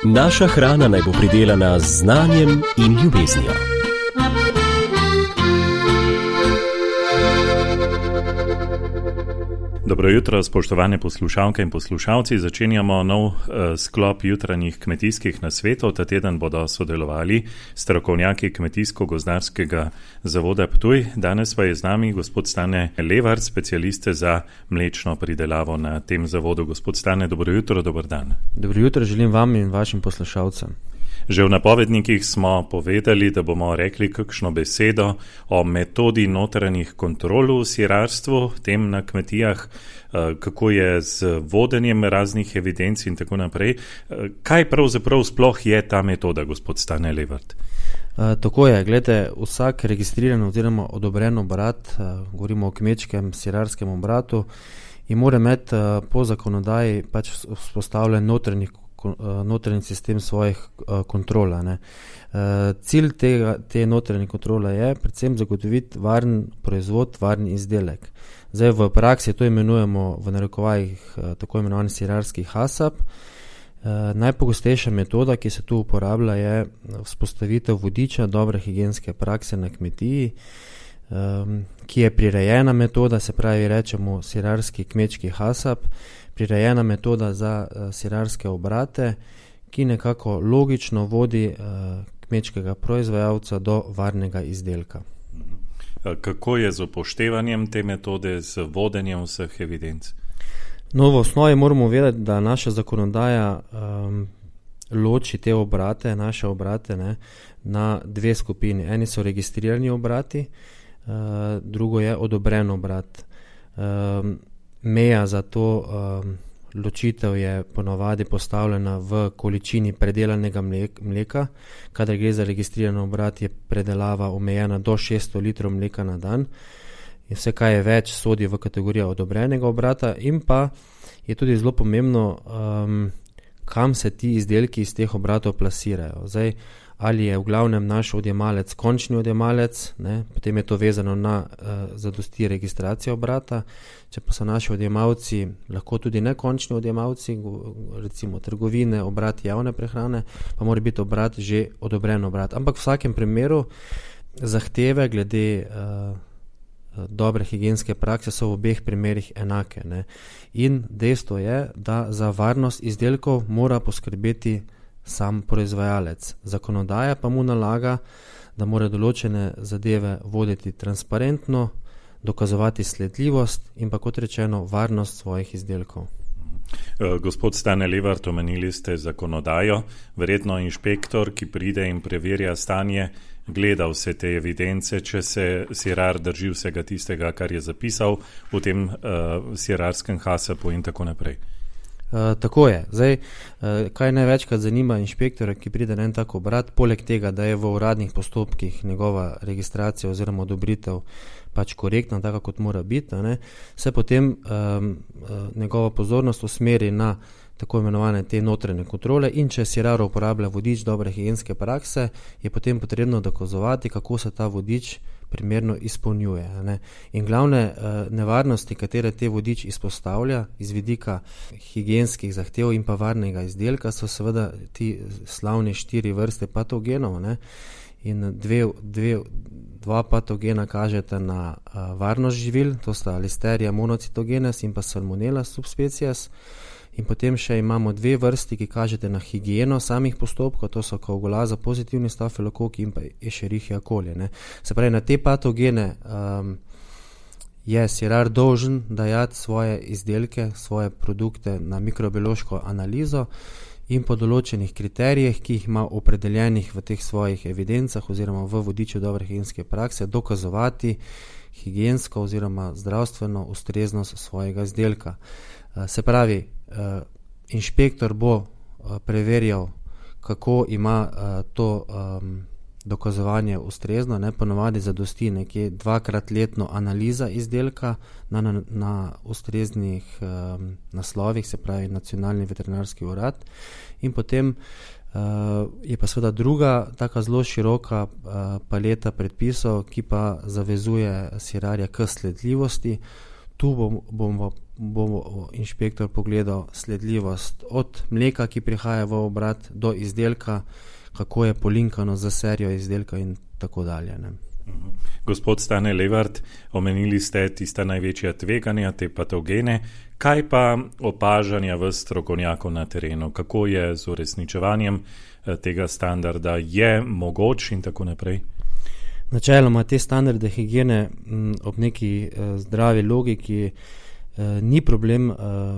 Naša hrana naj bo pridelana z znanjem in ljubeznijo. Dobro jutro, spoštovane poslušalke in poslušalci. Začenjamo nov sklop jutranjih kmetijskih nasvetov. Ta teden bodo sodelovali strokovnjaki Kmetijsko-gozdarskega zavoda Ptuj. Danes pa je z nami gospod Stane Levart, specialist za mlečno pridelavo na tem zavodu. Gospod Stane, dobro jutro, dober dan. Dobro jutro želim vam in vašim poslušalcem. Že v napovednikih smo povedali, da bomo rekli kakšno besedo o metodi notranjih kontrol v sirarstvu, tem na kmetijah, kako je z vodenjem raznih evidenc in tako naprej. Kaj pravzaprav sploh je ta metoda, gospod Stane Levart? Tako je, gledajte, vsak registriran oziroma odobren obrat, govorimo o kmečkem sirarskem obratu, in mora imeti po zakonodaji pač vzpostavljen notranji sistem svojih kontrola. Cilj te notranje kontrole je predvsem zagotoviti varen proizvod, varen izdelek. Zdaj v praksi to imenujemo v narekovajih tako imenovani sirarski HACCP. Najpogostejša metoda, ki se tu uporablja, je vzpostavitev vodiča dobre higienske prakse na kmetiji, ki je prirejena metoda, se pravi rečemo sirarski kmečki HACCP, prirejena metoda za sirarske obrate, ki nekako logično vodi kmečkega proizvajalca do varnega izdelka. Kako je z upoštevanjem te metode, z vodenjem vseh evidenc? No, v osnovi moramo vedeti, da naša zakonodaja loči te obrate, naše obrate, na dve skupini. Eni so registrirani obrati, drugo je odobren obrat. Meja za to ločitev je ponovadi postavljena v količini predelanega mleka. Kadar gre za registriran obrat, je predelava omejena do 600 litrov mleka na dan. In vse, kaj je več, sodi v kategorijo odobrenega obrata. In pa je tudi zelo pomembno, kam se ti izdelki iz teh obratov plasirajo. Zdaj, ali je v glavnem naš odjemalec končni odjemalec, potem je to vezano na zadosti registracijo obrata. Če pa so naši odjemalci lahko tudi nekončni odjemalci, recimo trgovine, obrat javne prehrane, pa mora biti obrat že odobren obrat. Ampak v vsakem primeru zahteve glede dobre higienske prakse so v obeh primerih enake. In dejstvo je, da za varnost izdelkov mora poskrbeti sam proizvajalec. Zakonodaja pa mu nalaga, da mora določene zadeve voditi transparentno, dokazovati sledljivost in pa, kot rečeno, varnost svojih izdelkov. Gospod Stane Levart, omenili ste zakonodajo. Verjetno inšpektor, ki pride in preverja stanje, gleda vse te evidence, če se sirar drži vsega tistega, kar je zapisal v tem sirarskem HACCP-u in tako naprej. Tako je. Zdaj, kaj največkrat zanima inšpektora, ki pride na en tak obrat, poleg tega, da je v uradnih postopkih njegova registracija oziroma odobritev pač korektna, tako kot mora biti, se potem njegova pozornost usmeri na tako imenovane te notranje kontrole, in če sirar uporablja vodič dobre higienske prakse, je potem potrebno dokazovati, kako se ta vodič primerno izpolnjuje. In glavne nevarnosti, katere te vodič izpostavlja iz vidika higienskih zahtev in pa varnega izdelka, so seveda ti slavni 4 vrste patogenov, in dva patogena kažeta na varnost živil, to sta Listeria monocytogenes in pa Salmonella subspecies. In potem še imamo 2 vrsti, ki kažete na higieno samih postopkov, to so koagulaza pozitivni stafilokoki in pa Escherichia coli. Se pravi, na te patogene je sirar dolžen dajati svoje izdelke, svoje produkte na mikrobiološko analizo in po določenih kriterijih, ki jih ima opredeljenih v teh svojih evidencah oziroma v vodiču dobre higienske prakse, dokazovati higiensko oziroma zdravstveno ustreznost svojega izdelka. Se pravi, inšpektor bo preverjal, kako ima to dokazovanje ustrezno, ponovadi zadosti nekje 2-krat letno analiza izdelka na ustreznih naslovih, se pravi Nacionalni veterinarski urad, in potem je pa seveda druga taka zelo široka paleta predpisov, ki pa zavezuje sirarja k sledljivosti. tu bo inšpektor pogledal sledljivost od mleka, ki prihaja v obrat, do izdelka, kako je polinkano za serijo izdelka in tako dalje. Ne. Gospod Stane Levart, omenili ste tista največja tveganja, te patogene. Kaj pa opažanja v strokovnjakov na terenu? Kako je z uresničevanjem tega standarda? Je mogoč in tako naprej? Načeloma te standarde higiene ob neki zdravi logiki ni problem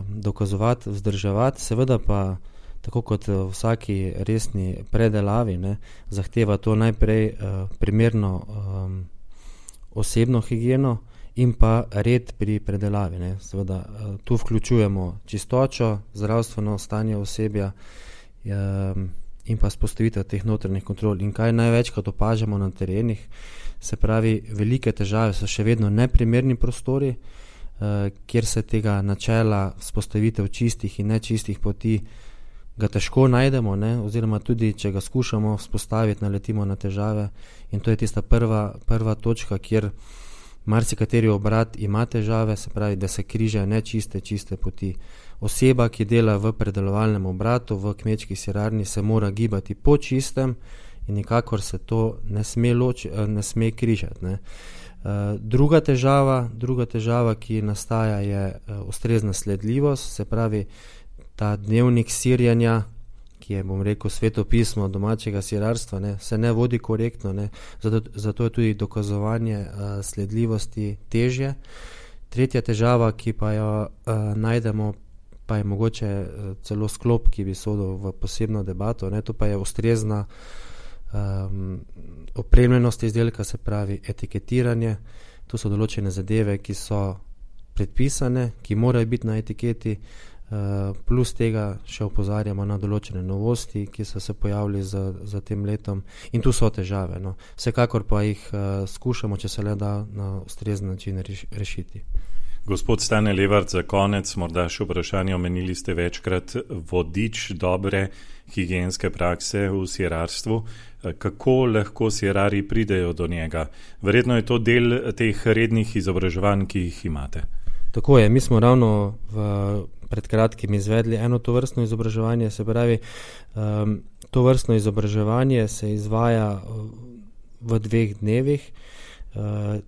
dokazovati, vzdrževati, seveda pa tako kot v vsaki resni predelavi, ne, zahteva to najprej primerno osebno higieno in pa red pri predelavi. Ne. Seveda tu vključujemo čistočo, zdravstveno stanje osebja in pa spostavitev teh notranjih kontrol. In kaj največkrat opažamo na terenih, se pravi, velike težave so še vedno neprimerni prostori, kjer se tega načela spostavitev čistih in nečistih poti ga težko najdemo, ne? Oziroma tudi, če ga skušamo vzpostaviti, naletimo na težave in to je tista prva točka, kjer marsikateri obrat ima težave, se pravi, da se križajo nečiste, čiste poti. Oseba, ki dela v predelovalnem obratu, v kmečki sirarni, se mora gibati po čistem in nikakor se to ne sme križati. Ne? Druga težava, ki nastaja, je ustrezna sledljivost, se pravi, ta dnevnik sirjanja, ki je, bom rekel, svetopismo domačega sirarstva, ne, se ne vodi korektno, ne, zato je tudi dokazovanje sledljivosti težje. Tretja težava, ki pa jo najdemo, pa je mogoče celo sklop, ki bi sodil v posebno debato, ne, to pa je ustrezna opremljenost izdelka, se pravi etiketiranje. To so določene zadeve, ki so predpisane, ki morajo biti na etiketi, plus tega še opozarjamo na določene novosti, ki so se pojavili za tem letom in tu so težave. No. Vsekakor pa jih skušamo, če se le da, na ustrezen način rešiti. Gospod Stane Levart, za konec morda še vprašanje, omenili ste večkrat vodič dobre higienske prakse v sirarstvu. Kako lahko sirari pridejo do njega? Verjetno je to del teh rednih izobraževanj, ki jih imate. Tako je, mi smo ravno pred kratkim izvedli eno tovrstno izobraževanje, se pravi, tovrstno izobraževanje se izvaja v 2 dnevih.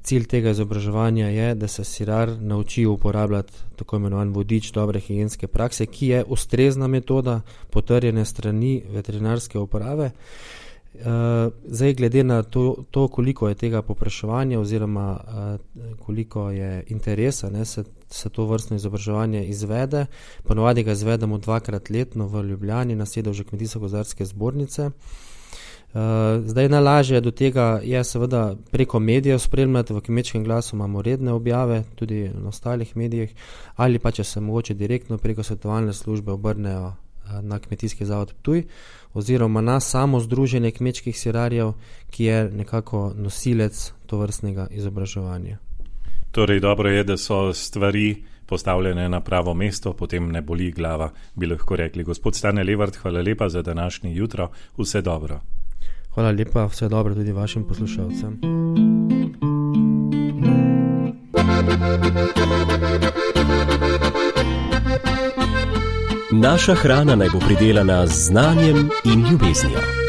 Cilj tega izobraževanja je, da se sirar nauči uporabljati tako imenovan vodič dobre higienske prakse, ki je ustrezna metoda, potrjene strani veterinarske uprave. Zdaj, glede na to, koliko je tega povpraševanja oziroma koliko je interesa, ne, se to vrstno izobraževanje izvede. Ponovadi ga izvedemo 2-krat letno v Ljubljani na sedežu Kmetijsko-gozdarske zbornice. Zdaj, najlažje do tega je seveda preko medijev spremljati, v Kmečkem glasu imamo redne objave, tudi na ostalih medijih, ali pa če se mogoče direktno preko svetovalne službe obrnejo na Kmetijski zavod Ptuj oziroma na samo združenje kmečkih sirarjev, ki je nekako nosilec tovrstnega izobraževanja. Torej, dobro je, da so stvari postavljene na pravo mesto, potem ne boli glava, bi lahko rekli. Gospod Stane Levart, hvala lepa za današnji jutro, vse dobro. Hvala lepa, vse dobro tudi vašim poslušalcem. Naša hrana naj bo pridelana z znanjem in ljubeznijo.